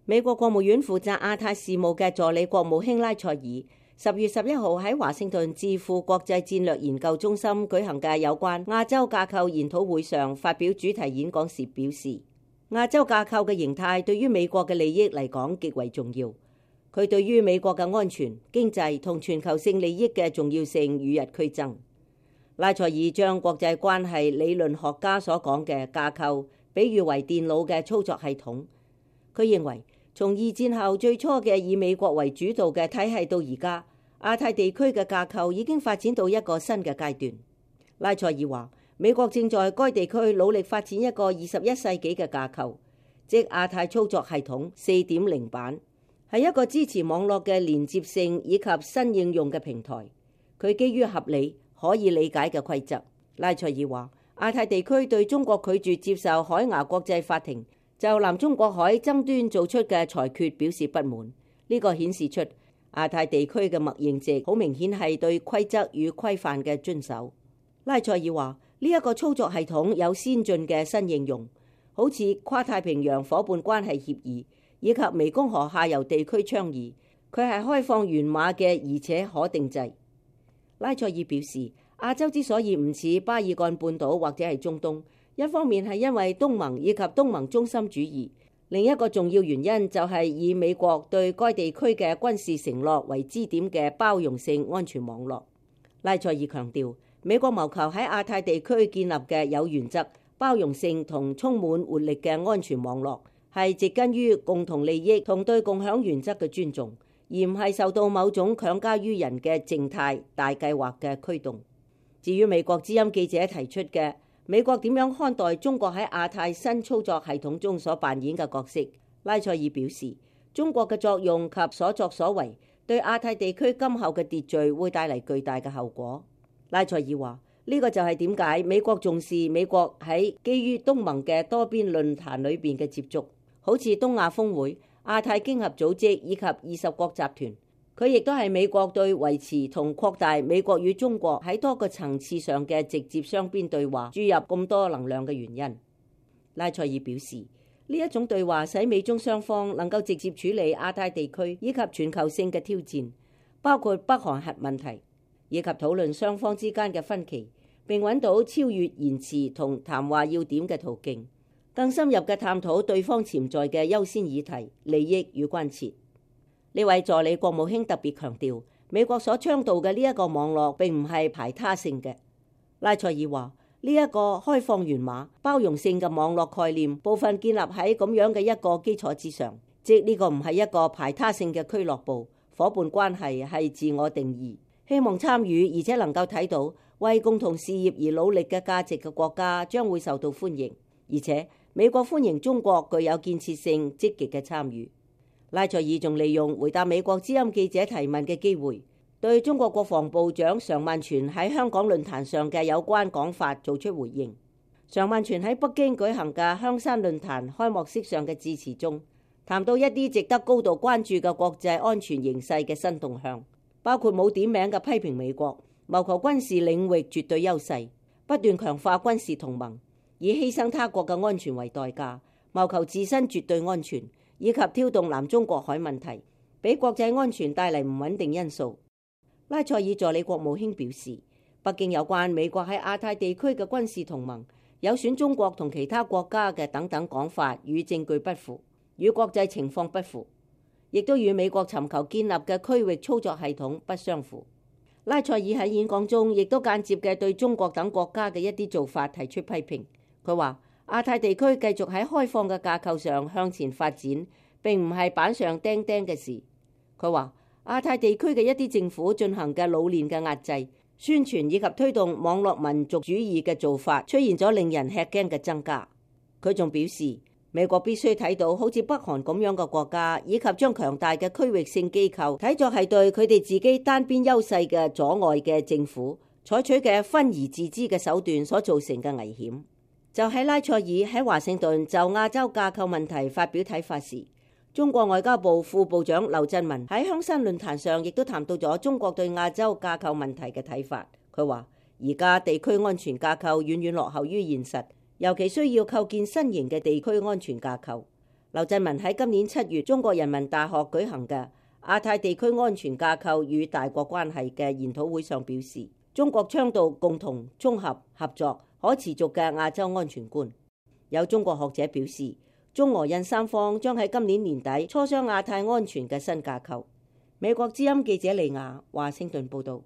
美國國務院負責亞太事務嘅助理國務卿拉塞爾10月11號喺華盛頓智庫國際戰略研究中心舉行嘅有關亞洲架構研討會上發表主題演講時表示，亞洲架構嘅形態對於美國嘅利益嚟講極為重要。佢對於美國嘅安全、經濟同全球性利益嘅重要性與日俱增。拉塞爾將國際關係理論學家所講嘅架構比喻為電腦嘅操作系統。佢認為，從二戰後最初嘅以美國為主導嘅體系到而家，亞太地區嘅架構已經發展到一個新嘅階段。拉塞爾話，美國正在該地區努力發展一個21世紀嘅架構，即亞太操作系統 4.0 版，係一個支持網絡嘅連接性以及新應用嘅平台。佢基於合理可以理解嘅規則。拉塞爾話，亞太地區對中國拒絕接受海牙國際法庭就南中國海爭端做出嘅裁決表示不滿。呢個顯示出亞太地區嘅默認值好明顯係對規則與規範嘅遵守。拉塞爾話，呢一個操作系統有先進嘅新應用，好似跨太平洋夥伴關係協議以及湄公河下游地區倡議。佢係開放源碼嘅，而且可定制。拉塞爾表示，亞洲之所以唔似巴爾幹半島或者係中東，一方面係因為東盟以及東盟中心主義，另一個重要原因就係以美國對該地區嘅軍事承諾為支點嘅包容性安全網絡。拉塞爾強調，美國謀求喺亞太地區建立嘅有原則、包容性同充滿活力嘅安全網絡，係植根於共同利益同對共享原則嘅尊重，而唔係受到某種強加於人嘅靜態大計劃嘅驅動。至於美國之音記者提出嘅美國點樣看待中國喺亞太新操作系統中所扮演嘅角色，拉塞爾表示，中國嘅作用及所作所為對亞太地區今後嘅秩序會帶嚟巨大嘅後果。拉塞爾話，呢個就係點解美國重視美國喺基於東盟嘅多邊論壇裏邊嘅接觸，好似東亞峰會、亞太經合組織以及20國集團。佢亦都係美國對維持同擴大美國與中國喺多個層次上嘅直接雙邊對話注入咁多能量嘅原因。拉塞爾表示，呢一種對話使美中雙方能夠直接處理亞太地區以及全球性嘅挑戰，包括北韓核問題，以及討論雙方之間嘅分歧，並揾到超越言辭同談話要點嘅途徑，更深入嘅探討對方潛在嘅優先議題、利益與關切。呢位助理國務卿特別強調，美國所倡導嘅呢一個網絡並唔係排他性嘅。拉塞爾話，呢一個開放源碼、包容性嘅網絡概念，部分建立喺咁樣嘅一個基礎之上，即呢個唔係一個排他性嘅俱樂部，夥伴關係係自我定義，希望參與而且能夠睇到為共同事業而努力嘅價值嘅國家將會受到歡迎，而且美國歡迎中國具有建設性積極嘅參與。拉塞爾仲利用回答美國之音記者提問嘅機會，對中國國防部長常萬全喺香港論壇上嘅有關講法做出回應。常萬全喺北京舉行嘅香山論壇開幕式上嘅致辭中，談到一啲值得高度關注嘅國際安全形勢嘅新動向，包括冇點名嘅批評美國謀求軍事領域絕對優勢，不斷強化軍事同盟，以犧牲他國嘅安全為代價，謀求自身絕對安全，以及挑動南中國海問題，俾國際安全帶嚟唔穩定因素。拉塞爾助理國務卿表示，北京有關美國喺亞太地區嘅軍事同盟有損中國同其他國家嘅等等講法與證據不符，與國際情況不符，亦都與美國尋求建立嘅區域操作系統不相符。拉塞爾喺演講中亦都間接嘅對中國等國家嘅一啲做法提出批評。佢話，亞太地區繼續喺開放嘅架構上向前發展，並唔係板上釘釘嘅事。佢話，亞太地區嘅一啲政府進行嘅老練嘅壓制、宣傳以及推動網絡民族主義嘅做法，出現咗令人吃驚嘅增加。佢仲表示，美國必須睇到好似北韓咁樣嘅國家，以及將強大嘅區域性機構睇作係對佢哋自己單邊優勢嘅阻礙嘅政府採取嘅分而治之嘅手段所造成嘅危險。就喺拉塞爾喺華盛頓就亞洲架構問題發表睇法時，中國外交部副部長劉振民喺香山論壇上亦都談到咗中國對亞洲架構問題嘅睇法。佢話，而家地區安全架構遠遠落後於現實，尤其需要構建新型嘅地區安全架構。劉振民喺今年7月中國人民大學舉行嘅亞太地區安全架構與大國關係嘅研討會上表示，中國倡導共同、綜合、合作、可持續嘅亞洲安全觀。有中國學者表示，中俄印三方將喺今年年底磋商亞太安全嘅新架構。美國之音記者李亞華盛頓報道。